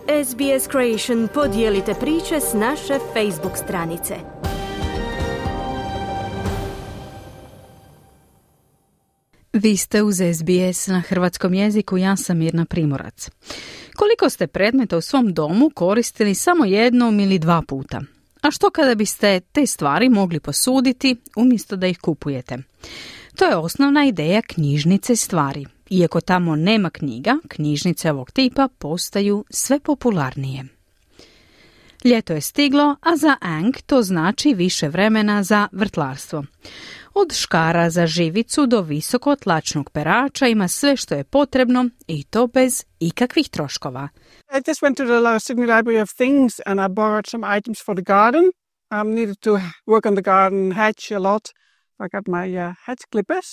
SBS Creation podijelite priče s naše Facebook stranice. Vi ste uz SBS na hrvatskom jeziku, ja sam Mirna Primorac. Koliko ste predmeta u svom domu koristili samo jednom ili dva puta? A što kada biste te stvari mogli posuditi umjesto da ih kupujete? To je osnovna ideja knjižnice stvari. Iako tamo nema knjiga, knjižnice ovog tipa postaju sve popularnije. Ljeto je stiglo, a za Ang to znači više vremena za vrtlarstvo. Od škara za živicu do visokotlačnog perača ima sve što je potrebno i to bez ikakvih troškova. I just went to the Sydney Library of Things and I borrowed some items for the garden. Needed to work on the garden hedge a lot. I got my hedge clippers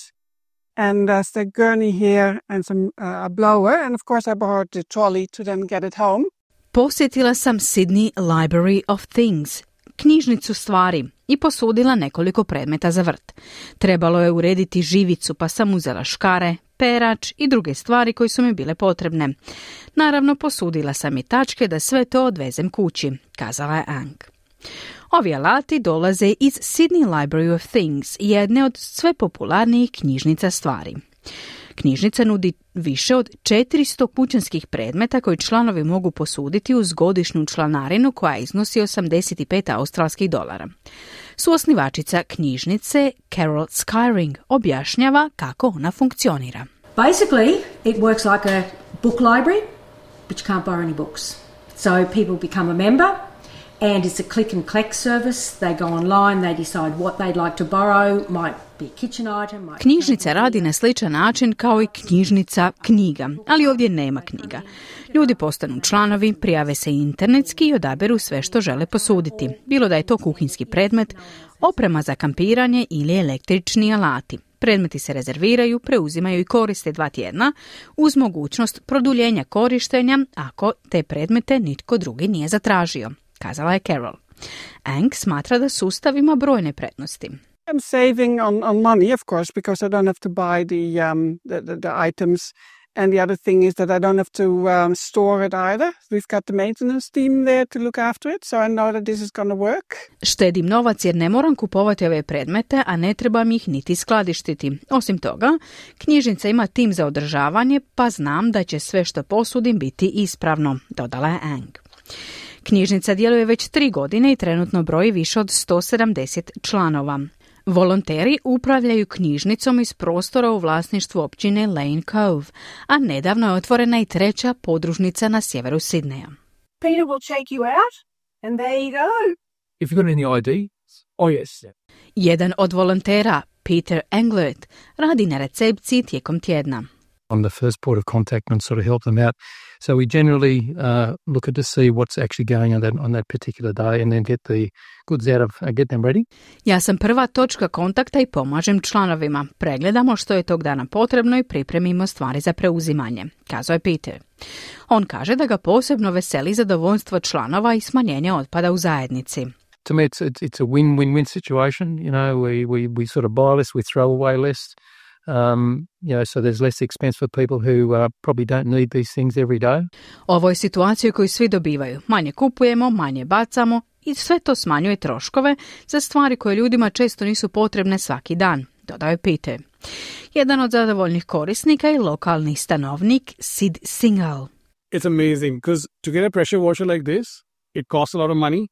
and a gurney here and some a blower. And of course I borrowed the trolley to then get it home. Posjetila sam Sydney Library of Things, knjižnicu stvari, i posudila nekoliko predmeta za vrt. Trebalo je urediti živicu, pa sam uzela škare, perač i druge stvari koje su mi bile potrebne. Naravno, posudila sam i tačke da sve to odvezem kući, kazala je Ang. Ovi alati dolaze iz Sydney Library of Things, jedne od sve popularnijih knjižnica stvari. Knjižnica nudi više od 400 kućanskih predmeta koji članovi mogu posuditi uz godišnju članarinu koja iznosi $85. Suosnivačica knjižnice Carol Skyring objašnjava kako ona funkcionira. Basically, it works like a book library, but you can't borrow any books. So people become a member, and it's a click and collect service. They go online, they decide what they'd like to borrow, might be a kitchen item. Knjižnica radi na sličan način kao i knjižnica knjiga, ali ovdje nema knjiga. Ljudi postanu članovi, prijave se internetski i odaberu sve što žele posuditi, bilo da je to kuhinjski predmet, oprema za kampiranje ili električni alati. Predmeti se rezerviraju, preuzimaju i koriste 2 tjedna uz mogućnost produljenja korištenja ako te predmete nitko drugi nije zatražio, kazala je Carol. Ang smatra da sustav ima brojne prednosti. I'm saving on money, of course, because I don't have to buy the items. And the other thing is that I don't have to store it either. We've got the maintenance team there to look after it, so I know that this is going to work. Štedim novac jer ne moram kupovati ove predmete, a ne trebam ih niti skladištiti. Osim toga, knjižnica ima tim za održavanje, pa znam da će sve što posudim biti ispravno, dodala je Ang. Knjižnica djeluje već 3 godine i trenutno broji više od 170 članova. Volonteri upravljaju knjižnicom iz prostora u vlasništvu općine Lane Cove, a nedavno je otvorena i 3. podružnica na sjeveru Sidneja. Peter will check you out, and there you go. If you've got any ID, oh yes. Jedan od volontera, Peter Englert, radi na recepciji tijekom tjedna. I'm the first port of contact and sort of help them out. So we generally look at to see what's actually going on that particular day and then get the goods out of, get them ready. Ja sam prva točka kontakta i pomažem članovima. Pregledamo što je tog dana potrebno i pripremimo stvari za preuzimanje, kazao je Peter. On kaže da ga posebno veseli zadovoljstvo članova i smanjenje otpada u zajednici. To me it's a win-win situation. You know, we sort of buy less, we throw away less. So there's less expense for people who probably don't need these things every day. Ovo je situacija koju svi dobivaju. Manje kupujemo, manje bacamo i sve to smanjuje troškove za stvari koje ljudima često nisu potrebne svaki dan, dodao je Peter. Jedan od zadovoljnih korisnika je lokalni stanovnik Sid Singal. It's amazing because to get a pressure washer like this, it costs a lot of money,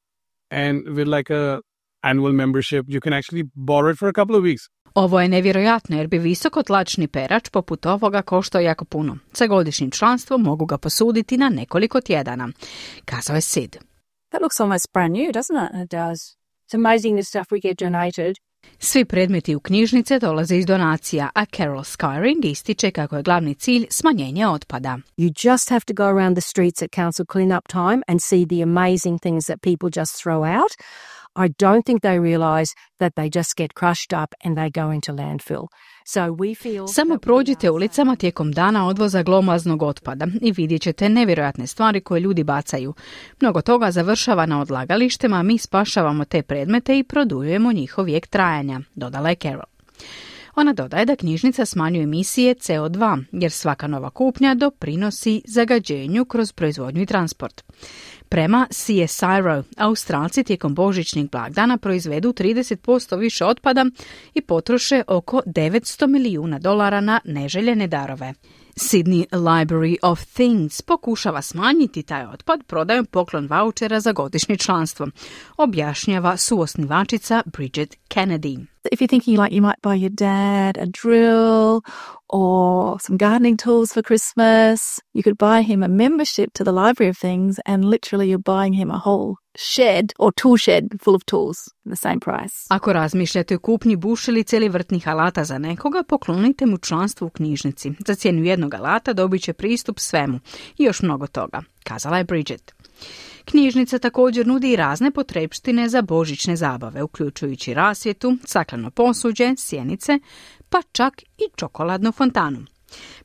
and with like a annual membership, you can actually borrow it for a couple of weeks. Ovo je nevjerojatno jer bi visokotlačni perač poput ovoga koštao jako puno. Sa godišnjim članstvom mogu ga posuditi na nekoliko tjedana, kazao je Sid. That looks almost brand new, doesn't it? It does. It's amazing the stuff we get donated. Svi predmeti u knjižnice dolaze iz donacija, a Carol Skyring ističe kako je glavni cilj smanjenje otpada. You just have to go around the streets at council clean-up time and see the amazing things that people just throw out. I don't think they realize that they just get crushed up and they go into landfill. So we feel Samo prođite ulicama tijekom dana odvoza glomaznog otpada i vidjet ćete nevjerojatne stvari koje ljudi bacaju. Mnogo toga završava na odlagalištima, mi spašavamo te predmete i produljujemo njihov vijek trajanja, dodala je Carol. Ona dodaje da knjižnica smanjuje emisije CO2, jer svaka nova kupnja doprinosi zagađenju kroz proizvodnju i transport. Prema CSIRO, Australci tijekom božićnih blagdana proizvedu 30% više otpada i potroše oko $900 milijuna na neželjene darove. Sydney Library of Things pokušava smanjiti taj otpad prodajom poklon vaučera za godišnje članstvo, objašnjava suosnivačica Bridget Kennedy. If you're thinking like you might buy your dad a drill or some gardening tools for Christmas, you could buy him a membership to the Library of Things and literally you're buying him a whole shed or tool shed full of tools at the same price. Ako razmišljate o kupnji bušilice ili vrtnih alata za nekoga, poklonite mu članstvo u knjižnici. Za cijenu jednog alata dobit će pristup svemu i još mnogo toga, kazala je Bridget. Knjižnica također nudi i razne potrepštine za božićne zabave, uključujući rasvjetu, stakleno posuđe, sjenice, pa čak i čokoladnu fontanu.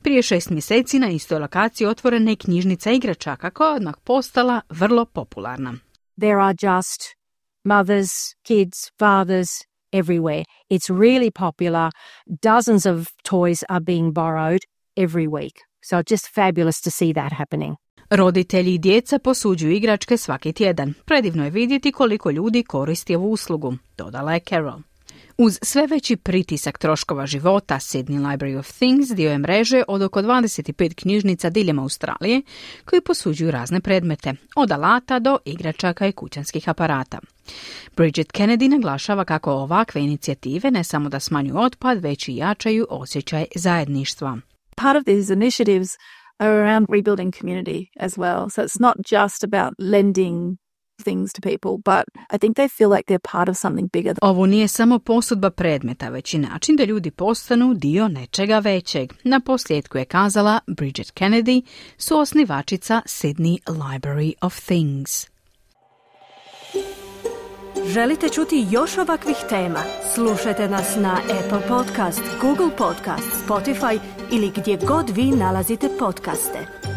Prije 6 mjeseci na istoj lokaciji otvorena je knjižnica igračaka koja je odmah postala vrlo popularna. There are just mothers, kids, fathers everywhere. It's really popular. Dozens of toys are being borrowed every week. So just fabulous to see that happening. Roditelji i djeca posuđuju igračke svaki tjedan. Predivno je vidjeti koliko ljudi koristi ovu uslugu, dodala je Carol. Uz sve veći pritisak troškova života, Sydney Library of Things dio je mreže od oko 25 knjižnica diljem Australije koji posuđuju razne predmete, od alata do igračaka i kućanskih aparata. Bridget Kennedy naglašava kako ovakve inicijative ne samo da smanjuju otpad, već i jačaju osjećaj zajedništva. Part of these initiatives are around rebuilding community as well. So it's not just about lending things to people, but I think they feel like they're part of something bigger. Ovo nije samo posudba predmeta, već i način da ljudi postanu dio nečega većeg. Na posljedku je kazala Bridget Kennedy, suosnivačica Sydney Library of Things. Želite čuti još ovakvih tema? Slušajte nas na Apple Podcast, Google Podcast, Spotify ili gdje god vi nalazite podcaste.